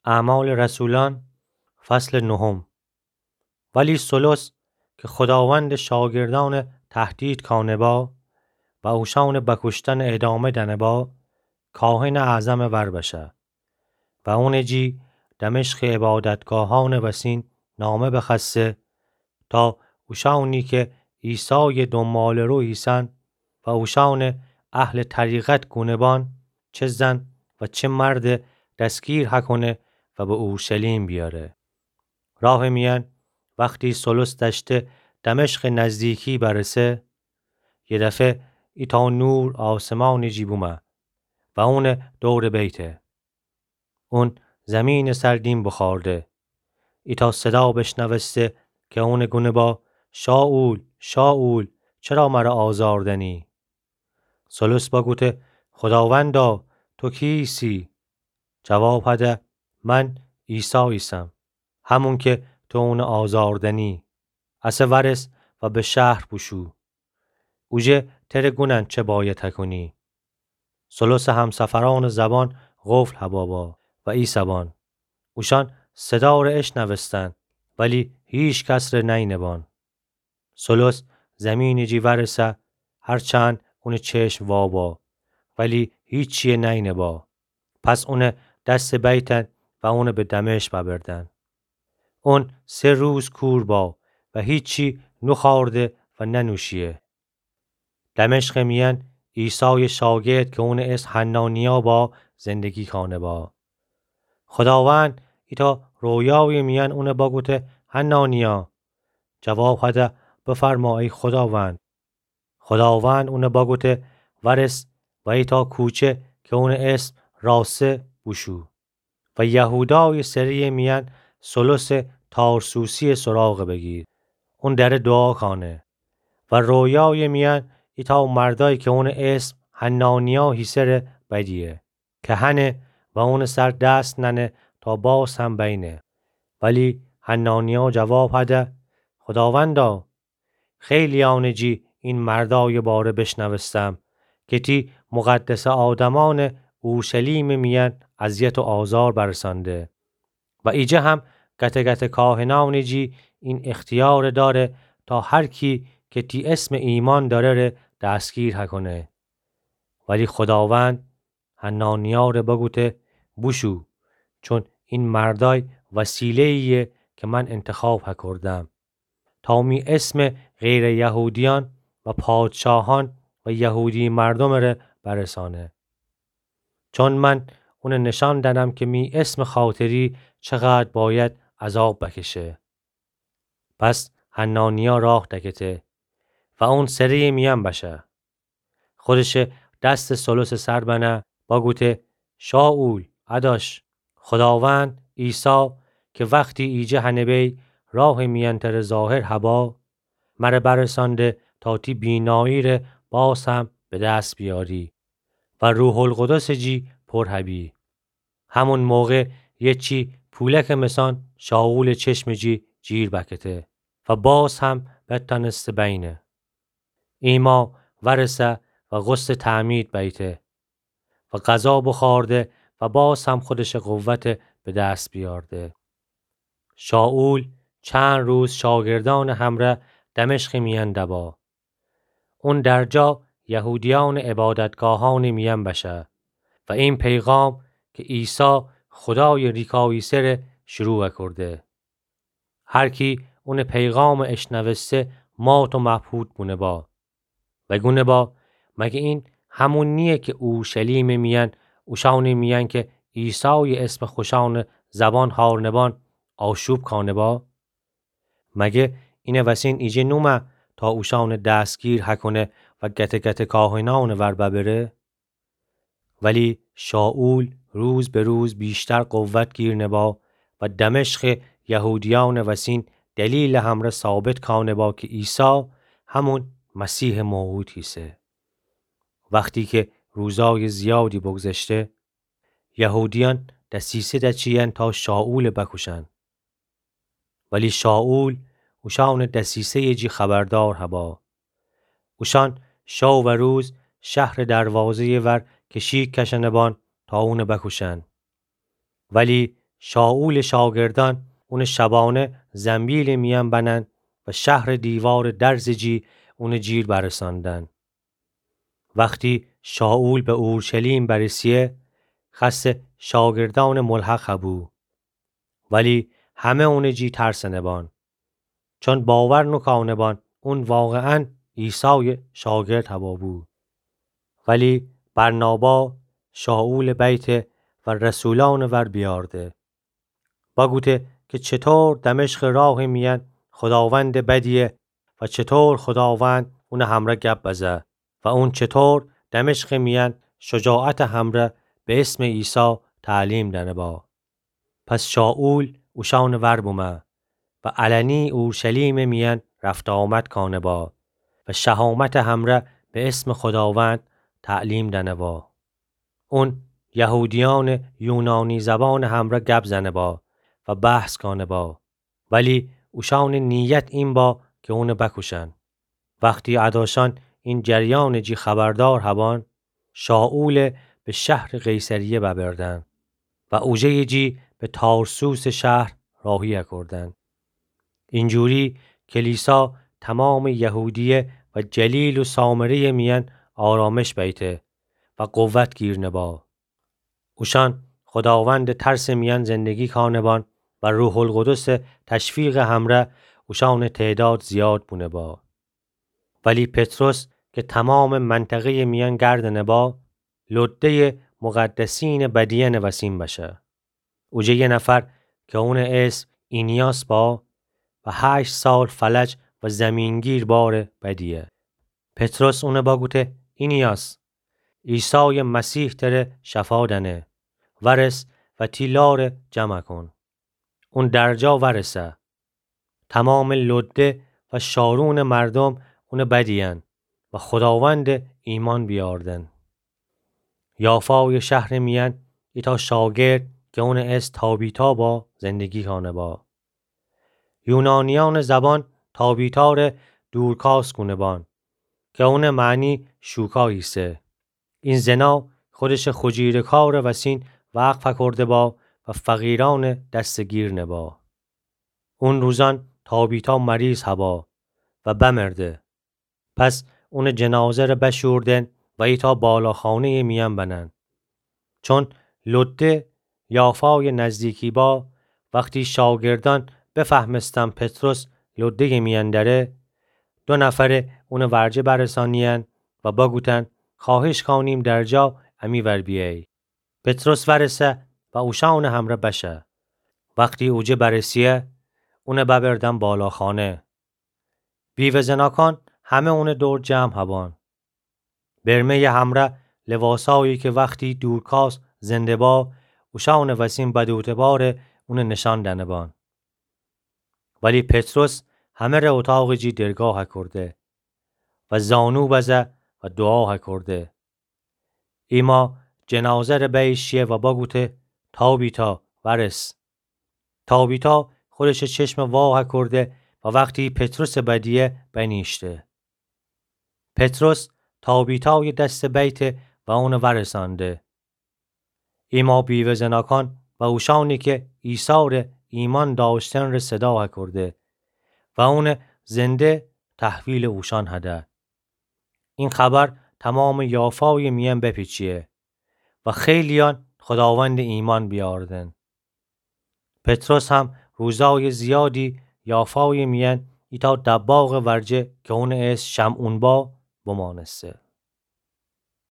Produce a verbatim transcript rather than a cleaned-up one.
اعمال رسولان، فصل نهم. ولی سولوس که خوداوند شاگردان تهدید کانه با و اوشان بکشتن ادامه دنه با، کاهن اعظم ور بشه و اون جی دمشق عبادتگاهان وسین نامه بخواسته تا اوشانی که عیسای دنباله‌رو ایسن و اوشان اهل طریقت گونه بان، چه زن و چه مرد دستگیر هکونه و به اورشلیم بیاره. راه میان وقتی سولوس دشته دمشق نزدیکی برسه، یه دفعه ایتا نور آسمان جی بومه و اون دور بیته. اون زمین سر دیم بخارده. ایتا صدا بشنوسته که اون گونه با: «شاول، شاول، چرا مره آزار دنی؟» سولوس بگوته: «خداوندا، تو کیسی؟» جواب هده: «من عیسی ایسم، همون که تو اون آزار دنی. اسه ورس و به شهر بوشو. اوجه تره گونن چه باید هکونی.» سولوس همسفران زبان قفل هبابا و ایسبان. اوشان صدا ره اشنوستن، ولی هیچ کس ره نینبان. سولوس زمین جی ورسه، هرچند اون چشم وابا، ولی هیچیه نینبا. پس اون دس بیتن و اون به دمشق ببردن. اون سه روز کور با و هیچی نخارده و ننوشیه. دمشق میان عیسای شاگرد که اون اسم حنانیا با زندگی کانه با. خداوند ایتا رویای میان اون بگوته: «حنانیا.» جواب هده: «بفرما ای خداوند.» خداوند اون بگوته: «ورس و ایتا کوچه که اون اسم راسه بوشو.» و یهودای سری میان سولوس تارسوسی سراغ بگیر. اون دره دعا کانه. و رویای میان ایتا مردای که اون اسم حنانیا هیسه ره بدیه، که هنه و اون سر دست ننه تا باز هم بینه. ولی حنانیا جواب هده: «خداوندا، خیلیان جی این مردای باره بشنوستم که تی مقدس آدمان اورشلیم میان اذیت و آزار برسانده. و ایجه هم گته گته کاهنان جی این اختیار داره تا هر کی که تی اسم ایمان داره ره دستگیر هکونه.» ولی خداوند حنانیا ره بگوته: «بوشو، چون این مردای وسیله‌ایه که من انتخاب هکردم تا می اسم غیر یهودیان و پادشاهان و یهودی مردم ره برسانه. چون من اون نشان دنم که می اسم خاطری چقدر باید عذاب بکشه.» پس حنانیا راه دکته و اون سری میان بشه. خودش دس سولوس سر بنه، بگوته: «شاول، اداش، خداوند عیسی که وقتی ایجه هنه بی راه میان تره ظاهر هبا، مره برسانده تا تی بینایی ره باز هم به دست بیاری و روح‌القدس جی پر هبی.» همون موقع یه چی پولک مثان شاول چشم جی جیر بکته و باز هم بتانسته بینه. ایما ورسه و غسل تعمید بیته و غذا بخورده و باز هم خودش قوت به دست بیارده. شاول چند روز شاگردان همره دمشق میان دبا. اون درجا یهودیان عبادتگاهان میان بشه و این پیغام که عیسی خدای ریکایی سره شروع کرده. هر کی اون پیغام اشنوسته مات و مبهوت بونه با و گونه با: «مگه این همون نیه که اورشلیم میان اوشان میان که عیسای اسم خوشان زبان هارنبان آشوب کانه با؟ مگه این وسین ایجه نومه تا اوشان دستگیر هکونه و گته گته کاهنان ور ببره؟» ولی شاول روز به روز بیشتر قوت گیر نبا و دمشق یهودیان وسین دلیل همره ثابت کانه با که عیسی همون مسیح موعود هیسه. وقتی که روزای زیادی بگذشته، یهودیان دسیسه دچیین تا شاول بکوشن. ولی شاول اوشان دسیسه جی خبردار هبا. اوشان شو و روز شهر دروازه ور کشیک کشنه بان تا اون بکوشن. ولی شائولٚ شاگردأن اونٚ شبانه زنبیلٚ میأن بنن و شهرٚ دیوارٚ درزٚ جی اونٚ جیر برساندن. وختی شائول به اورشلیم برسه، خأسه شاگردأنٚ ملحق هبو. ولی همه اونٚ جی ترسنه بان، چون باور نوکانه بان اون واقعاً عیسایٚ شاگرد هوا بو. ولی برنابا شائولٚ بیته و رسولأنٚ ور بیارده. بگوته که چطور دمشقٚ راهٚ میأن خوداوندٚ بدیه و چطور خوداوند اونٚ همرأ گب بزه و اون چطور دمشقٚ میأن شجاعتٚ همرأ به اسمٚ عیسی تعلیم دأنه با. پس شائول اوشأنٚ ور بومه و علنی اورشلیمٚ میأن رفت و آمد کانه با و شهامتٚ همرأ به اسمٚ خوداوند تعلیم دأنه با. اون یهودیأنٚ یونانی زبانٚ همرأ گب زنه با و بحث کانه با. ولی اوشأنٚ نیت این با که اونٚ بکوشن. وختی اداشأن این جریانٚ جی خبردار هبان، شائول به شهرٚ قیصریه ببردن و اوجه‌یٚ جی به تارسوسٚ شهر راهی اکردن. اینجوری کلیسا تمامٚ یهودیه و جلیل و سامره‌یٚ میأن آرامش بیته و قوت گیرنه با. اوشأن خوداوندٚ ترسٚ میأن زندگی کانه بان و روح‌القدسٚ تشویقٚ همرأ اوشأنٚ تعداد زیاد بونه با. ولی پطرس که تمامٚ منطقه‌یٚ میأن گردنه با، لده‌یٚ مقدسینٚ بدیأنٚ وسین بشه. اوجه یه نفر که اونٚ اسم اینیاس با و هشت سال فلج و زیمینگیر بارٚ بدیه. پطرس اونه بگوته: اینیاس، عیسایٚ مسیح تره شفا دأنه، ورس و تی لاره جمع کون. اون درجا ورسه. تمامٚ لده و شارونٚ مردوم اونٚ بدیأن و خوداوندٚ ایمأن بیاردن. یافایٚ شهرٚ میأن ایتأ شاگرد که اونٚ اسم تابیتا با زندگی کانه با. یونانیأنٚ زبان تابیتاره دورکاس کونه بان که اونٚ معنی شوکا ایسه. این زنا خودشٚ خجیرکارٚ وسین وقف اکرده با و فقیرأنٚ دستٚ گیر نبا. اون روزأن تابیتا مریض هبا و بمرده. پس اونٚ جنازه‌ره بشوردن و ایتأ بالاخانه‌یٚ میأن بنن. چون لده یافایٚ نزدیکی با، وختی شاگردأن بفهمستن پطرس لده‌یٚ میأن دره، دو نفره اونٚ ورجه برسانیأن و بگوتن: خواهش کانیم درجا امی ور بیأیی. پطرس ورسه و اوشأنٚ همره بشه. وختی اوجه برسیه، اونه ببردن بالاخانه. بیوه زناکأن همه اونٚ دور جمع هبان. برمه‌یٚ همره لواسایی که وختی دورکاس زنده با، اوشأنٚ وسین بدوته باره اونه نشأن دأنه بان. ولی پطرس همه‌ره اوطاقٚ جی درگاه اکرده و زانو بزه و دوعا اکرده. ایما جنازه‌ره بیشیه و بگوته: تابیتا، ورس. تابیتا خودشٚ چشمه وا اکرده و وختی پطرسٚ بدیه بنیشته. پطرس تابیتایٚ دسته بیته و اونه ورسأنده. ایما بیوه زناکأن و اوشأنی که عیساره ایمأن دأشتن ره صدا اکرده و اونه زنده تحویلٚ اوشأن هده. این خبر تمامٚ یافایٚ میأن بپیچیه و خیلیأن خوداوندٚ ایمأن بیاردن. پطرس هم روزایٚ زیادی یافایٚ میأن ایتأ دباغٚ ورجه که اونٚ اسم شمعون با بمأنسته.